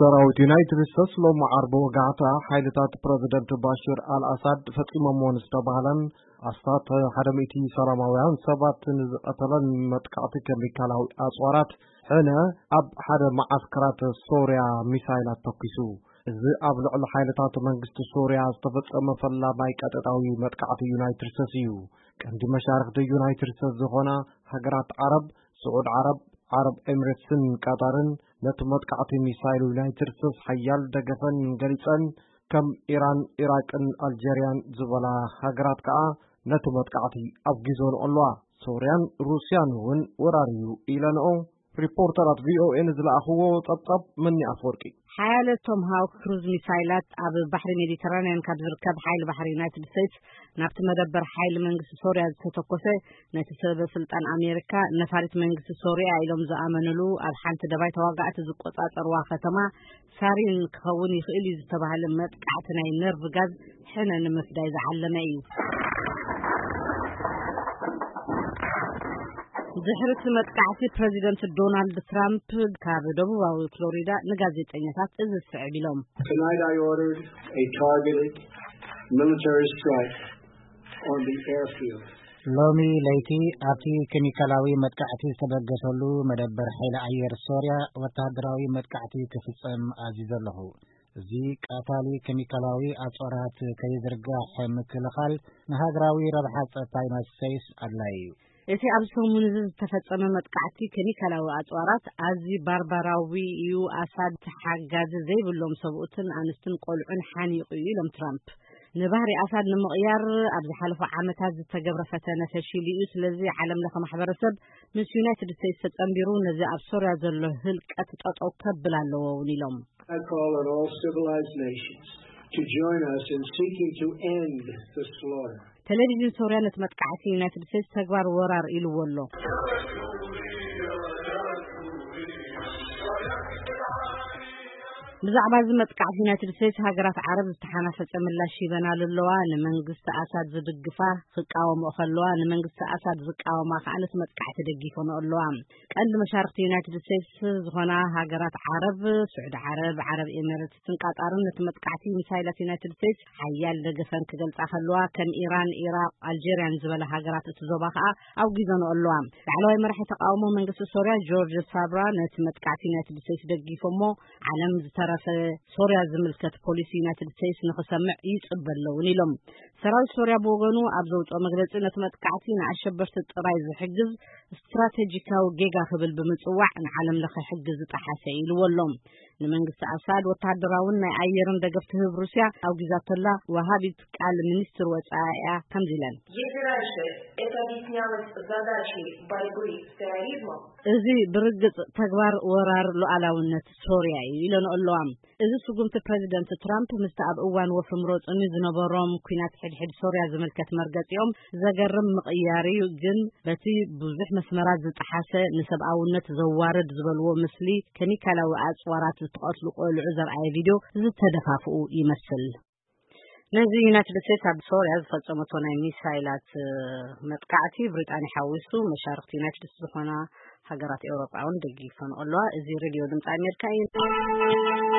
ሰራዊት ዩናይትድ ስቴትስ ሎሚ ዓርቢ ወጋሕታ ሓይልታት ፕረዚደንት ባሽር ኣልኣሳድ ፈጺሞምዎ ንዝተባህለን ኣስታት ሓደ ሚእቲ ሰላማውያን ሰባት ንዝቐተለን መጥቃዕቲ ኬሚካላዊ ኣጽዋራት ሕነ ኣብ ሓደ መዓስከራት ሶርያ ሚሳይላት ተኩሱ። እዚ ኣብ ልዕሊ ሓይልታት መንግስቲ ሶርያ ዝተፈጸመ ፈላማይ ቀጥታዊ መጥቃዕቲ ዩናይትድ ስቴትስ እዩ። ቀንዲ መሻርኽቲ ዩናይትድ ስቴትስ ዝኾና ሃገራት ዓረብ፣ ስዑድ ዓረብ፣ ዓረብ ኤሚሬትስን ቃጣርን ነቲ መጥቃዕቲ ሚሳይል ዩናይትድ ስቴትስ ሓያል ደገፈን ገሊጸን፣ ከም ኢራን፣ ኢራቅን ኣልጀርያን ዝበላ ሃገራት ከኣ ነቲ መጥቃዕቲ ኣውጊዘንኦ ኣለዋ። ሶርያን ሩስያን እውን ወራር እዩ ኢለንኦ። ሪፖርተራት ቪኦኤ ንዝለኣኽዎ ጸብጻብ መኒ ኣፈወርቂ። ሓያለ ቶምሃውክ ክሩዝ ሚሳይላት ኣብ ባሕሪ ሜዲተራንያን ካብ ዝርከብ ሓይሊ ባሕሪ ዩናይትድ ስቴትስ ናብቲ መደበር ሓይሊ መንግስቲ ሶርያ ዝተተኮሰ፣ ነቲ ሰበ ስልጣን ኣሜሪካ ነፋሪት መንግስቲ ሶርያ ኢሎም ዝኣመንሉ ኣብ ሓንቲ ደባይ ተዋጋእቲ ዝቆጻጸርዋ ከተማ ሳሪን ክኸውን ይኽእል እዩ ዝተባህለ መጥቃዕቲ ናይ ነርቭ ጋዝ ሕነ ንምፍዳይ ዝዓለመ እዩ። ድሕሪ እቲ መጥቃዕቲ ፕረዚደንት ዶናልድ ትራምፕ ካብ ደቡባዊ ፍሎሪዳ ንጋዜጠኛታት እዚ ዝስዕብ ኢሎም። Tonight I ordered a targeted military strike on the airfield. ሎሚ ለይቲ ኣብቲ ኬሚካላዊ መጥቃዕቲ ዝተበገሰሉ መደበር ሓይሊ ኣየር ሶርያ ወተሃደራዊ መጥቃዕቲ ክፍጸም ኣዚዘ ኣለኹ። እዚ ቀታሊ ኬሚካላዊ ኣጽዋራት ከይዝርጋሕ ምክልኻል ንሃገራዊ ረብሓ ጸጥታ ዩናይትድ ስቴትስ ኣድላዪ እዩ። እቲ ኣብዚ ሰሙን እዚ ዝተፈጸመ መጥቃዕቲ ኬሚካላዊ ኣጽዋራት ኣዝዩ ባርባራዊ እዩ፣ ኣሳድ ሓጋዚ ዘይብሎም ሰብኡትን ኣንስትን ቆልዑን ሓኒቑ እዩ ኢሎም ትራምፕ። ንባህሪ ኣሳድ ንምቕያር ኣብ ዝሓለፉ ዓመታት ዝተገብረ ፈተነ ፈሺሉ እዩ። ስለዚ ዓለም ለኸ ማሕበረሰብ ምስ ዩናይትድ ስቴትስ ተጸንቢሩ ነዚ ኣብ ሶርያ ዘሎ ህልቀት ጠጠው ከብል ኣለዎ እውን ኢሎም። I call on all civilized nations to join us in seeking to end the slaughter. ቴሌቪዥን ሶርያ ነቲ መጥቃዕቲ ዩናይትድ ስቴትስ ተግባር ወራር ኢልዎ ኣሎ። ብዛዕባ እዚ መጥቃዕቲ ዩናይትድ ስቴትስ ሃገራት ዓረብ ዝተሓናፈጸ ምላሽ ሂበናሉ ኣለዋ። ንመንግስቲ ኣሳድ ዝድግፋ ክቃወምኦ ከለዋ፣ ንመንግስቲ ኣሳድ ዝቃወማ ከኣ ነቲ መጥቃዕቲ ደጊፈንኦ ኣለዋ። ቀንዲ መሻርክቲ ዩናይትድ ስቴትስ ዝኾና ሃገራት ዓረብ፣ ስዑዲ ዓረብ፣ ዓረብ ኤሚሬትስን ቃጣርን ነቲ መጥቃዕቲ ሚሳይላት ዩናይትድ ስቴትስ ሓያል ደገፈን ክገልጻ ከለዋ፣ ከም ኢራን፣ ኢራቅ፣ ኣልጀርያን ዝበላ ሃገራት እቲ ዞባ ከኣ ኣውጊዘንኦ ኣለዋ። ላዕለዋይ መራሒ ተቃውሞ መንግስቲ ሶርያ ጆርጅ ሳብራ ነቲ መጥቃዕቲ ዩናይትድ ስቴትስ ደጊፎሞ፣ ዓለም ዝተረፈ ሶርያ ዝምልከት ፖሊሲ ዩናይትድ ስቴትስ ንኽሰምዕ ይጽበ ኣለውን ኢሎም። ሰራዊት ሶርያ ብወገኑ ኣብ ዘውጽኦ መግለጺ ነቲ መጥቃዕቲ ንኣሸበርቲ ጥራይ ዝሕግዝ ስትራቴጂካዊ ጌጋ ክብል ብምጽዋዕ ንዓለም ለኸ ሕጊ ዝጠሓሰ ኢልዎ ኣሎ። ንመንግስቲ ኣሳድ ወተሃደራውን ናይ ኣየርን ደገፍ ትህብ ሩስያ ኣውጊዛቶላ ወሃቢት ቃል ሚኒስትር ወጻኢኣ ከምዚ ኢለን። Если раньше это объяснялось задачей борьбы с терроризмом, እዚ ብርግጽ ተግባር ወራር ሉዓላውነት ሶርያ እዩ ኢለንኦ ኣለዋ። እዚ ስጉምቲ ፕረዚደንት ትራምፕ ምስቲ ኣብ እዋን ወፍሪ ምረጹኒ ዝነበሮም ኲናት ሕድሕድ ሶርያ ዝምልከት መርገጺኦም ዘገርም ምቕያር እዩ፣ ግን በቲ ብዙሕ መስመራት ዝጠሓሰ ንሰብኣውነት ዘዋርድ ዝበልዎ ምስሊ ኬሚካላዊ ኣጽዋራት ዝተቐትሉ ቆልዑ ዘርኣየ ቪድዮ ዝተደፋፍኡ ይመስል። ነዚ ዩናይትድ ስቴትስ ኣብ ሶርያ ዝፈጸመቶ ናይ ሚሳይላት መጥቃዕቲ ብሪጣንያ ሓዊሱ መሻርክቲ ዩናይትድ ስቴትስ ዝኾና ሃገራት ኤውሮጳ እውን ደጊፈንኦ ኣለዋ። እዚ ሬድዮ ድምፂ ኣሜሪካ እዩ።